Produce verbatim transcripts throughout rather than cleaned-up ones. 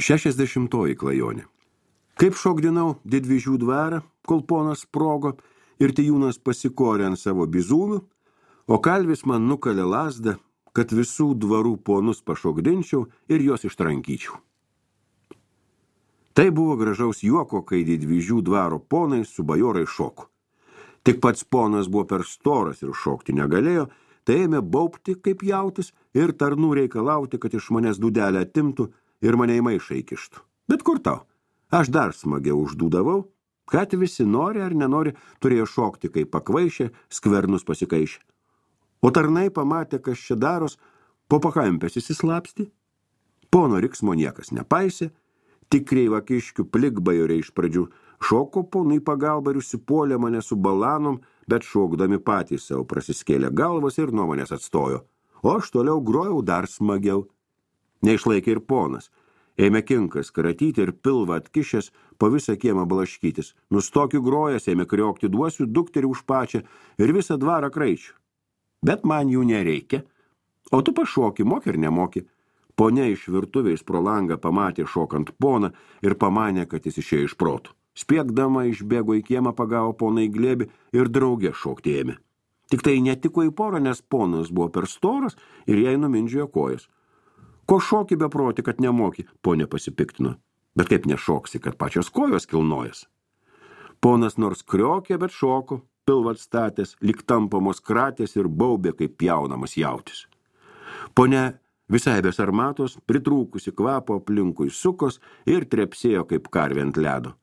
Šešiasdešimtoji klajonė. Kaip šokdinau Didvyžių dvarą, kol ponas sprogo ir Tijūnas pasikorė ant savo bizūnų, o kalvis man nukalė lazdą, kad visų dvarų ponus pašokdinčiau ir juos ištrankyčiau. Tai buvo gražaus juoko, kai Didvyžių dvaro ponai su bajorai šoko. Tik pats ponas buvo per storas ir šokti negalėjo, tai ėmė baubti kaip jautis ir tarnų reikalauti, kad iš manęs dūdelę atimtų ir mane į maišą įkištų. Bet kur tau? Aš dar smagiau uždūdavau, kad visi nori ar nenori turėjo šokti, kaip pakvaišė, skvernus pasikaišė. O tarnai pamatė, kas čia daros, po pakampės įsislapsti. Pono riksmo niekas nepaisė, tik kreivakiškių plikbajoriai iš pradžių šoko ponui pagalbą ir užsipuolė mane su balanom, bet šokdami patys savo prasiskėlė galvas ir nuo manęs atstojo. O aš toliau grojau dar smagiau. Neišlaikė ir ponas. Ėmė kinkas karatyti ir pilvą atkišęs po visą kiemą blaškytis. Nustokiu grojęs, ėmė kriokti duosiu dukterį už pačią ir visą dvarą kraičių. Bet man jų nereikia. O tu pašoki, moki ir nemoki. Ponia iš virtuvės pro langą pamatė šokant poną ir pamanė, kad jis išėjo iš protų. Spiegdama išbėgo į kiemą, pagavo poną į glėbį ir draugė šokti ėmė. Tik tai netiko į porą, nes ponas buvo per storas ir jai numindžiojo kojas. Ko šoki beproti, kad nemoki, ponė pasipiktino. Bet kaip nešoksi, kad pačios kojos kilnojas. Ponas nors kriokė, bet šoko, pilvą atstatęs, lyg tampamos kratės ir baubė, kaip pjaunamas jautis. Ponia visai be sarmatos, pritrūkusi kvapo aplinkui sukos ir trepsėjo kaip karvė ant ledo.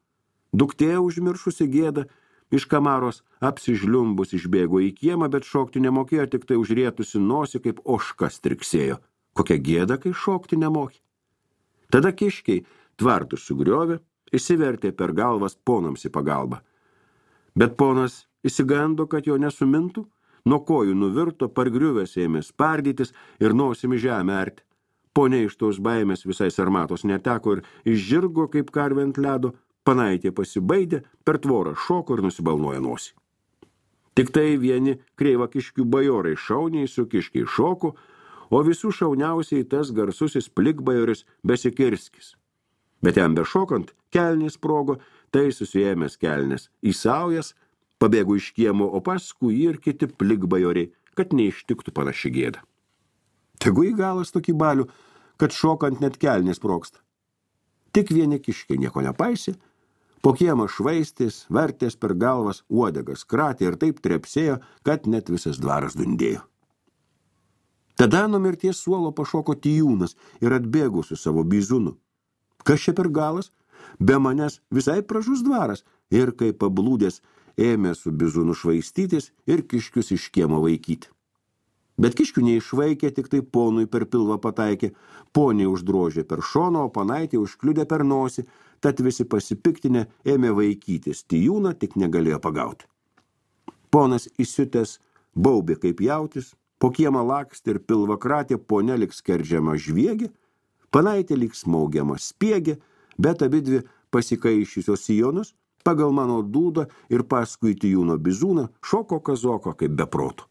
Duktė užmiršusi gėdą, iš kamaros apsižliumbus išbėgo į kiemą, bet šokti nemokėjo, tik tai užrietusi nosį, kaip ožka striksėjo. Kokia gėda, kai šokti nemoki. Tada kiškiai tvartus sugriovė, įsivertė per galvas ponams į pagalbą. Bet ponas įsigando, kad jo nesumintų, nuo kojų nuvirto, pargriuvęs ėmė spardytis ir nosimi žemę arti. Ponia iš tos baimės visai sarmatos neteko ir išžirgo kaip karvė ant ledo, panaitė pasibaidė, per tvorą šoko ir nusibalnojo nosį. Tik tai vieni kreivakiškių bajorai šauniai su kiškiai šoko, o visų šauniausiai tas garsusis plikbajoris Besikirskis. Bet jam bešokant, kelnės sprogo, tai susiėmęs kelnes į saujas, pabėgo iš kiemo, o paskui ir kiti plikbajoriai, kad neištiktų panaši gėda. Tegu į galas tokį balių, kad šokant net kelnės sprogsta. Tik vieni kiškiai nieko nepaisė, po kiemą švaistės, vertės per galvas, uodegas kratė ir taip trepsėjo, kad net visas dvaras dundėjo. Tada nuo mirties suolo pašoko Tijūnas ir atbėgo su savo bizūnu. Kas čia per galas? Be manęs visai pražus dvaras ir kaip pablūdęs ėmė su bizūnu švaistytis ir kiškius iš kiemo vaikyti. Bet kiškių neišvaikė, tik tai ponui per pilvą pataikė, poniai uždrožė per šoną, o panaitė užkliudė per nosį, tad visi pasipiktinę ėmė vaikytis. Tijūną tik negalėjo pagauti. Ponas įsiutęs baubė kaip jautis, po kiemą lakstė ir pilvą kratė, ponia lyg skerdžiama žviegė, panaitė lyg smaugiama spiegė, bet abidvi pasikaišysios sijonus pagal mano dūdą ir paskui Tijūno bizūną šoko kazoko kaip beprotų.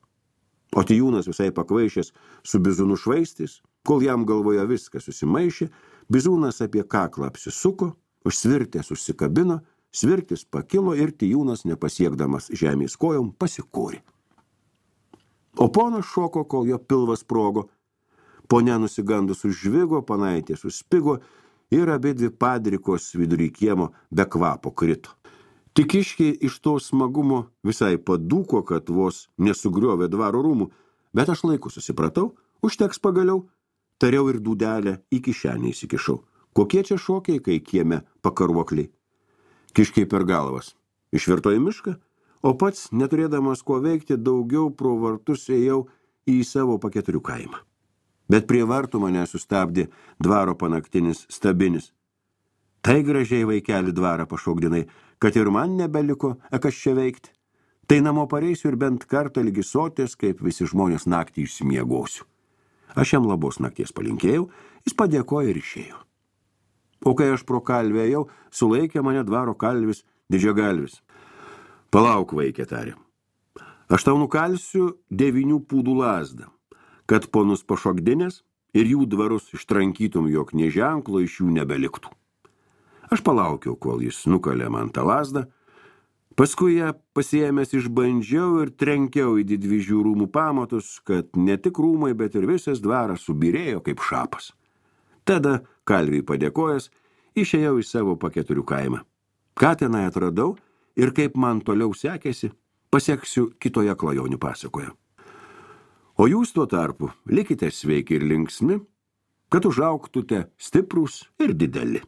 O Tijūnas visai pakvaišęs su bizūnu švaistis, kol jam galvoje viskas susimaišė, bizūnas apie kaklą apsisuko, užsvirtės užsikabino, svirtis pakilo ir Tijūnas, nepasiekdamas žemės kojom, pasikūrė. O ponas šoko, kol jo pilvas sprogo. Ponia nusigandus užžvigo, panaitė suspigo ir abidvi padrikos vidury kiemo be kvapo krito. Tik kiškiai iš to smagumo visai padūko, kad vos nesugriovė dvaro rūmų, bet aš laiku susipratau, užteks pagaliau, tariau ir dūdelę į kišenę įsikišau. Kokie čia šokiai, kai kieme pakaruokliai? Kiškiai per galvas. Išvirto į mišką, o pats, neturėdamas ko veikti, daugiau pro vartus ėjau į savo paketurių kaimą. Bet prie vartų mane sustabdė dvaro panaktinis stabinis. Tai gražiai vaikelį dvarą pašokdinai, kad ir man nebeliko, kas čia veikti. Tai namo pareisiu ir bent kartą lygi sotės, kaip visi žmonės naktį išsimiegosiu. Aš jam labos nakties palinkėjau, jis padėkojo ir išėjo. O kai aš pro kalvę ėjau, sulaikė mane dvaro kalvis Didžiagalvis. Palauk, vaikė, tarė. Aš tau nukalsiu devynių pūdų lazdą, kad ponus pašokdinės ir jų dvarus ištrankytum, jog nė ženklo iš jų nebeliktų. Aš palaukiau, kol jis nukalė man tą lazdą, paskui ją pasiėmęs išbandžiau ir trenkiau į didvyžių rūmų pamatus, kad ne tik rūmai, bet ir visas dvaras subirėjo kaip šapas. Tada, kalviui padėkojęs, išėjau į savo paketurių kaimą. Ką tenai atradau ir kaip man toliau sekėsi, paseksiu kitoje klajonių pasakoje. O jūs tuo tarpu likite sveiki ir linksmi, kad užaugtute stiprūs ir dideli.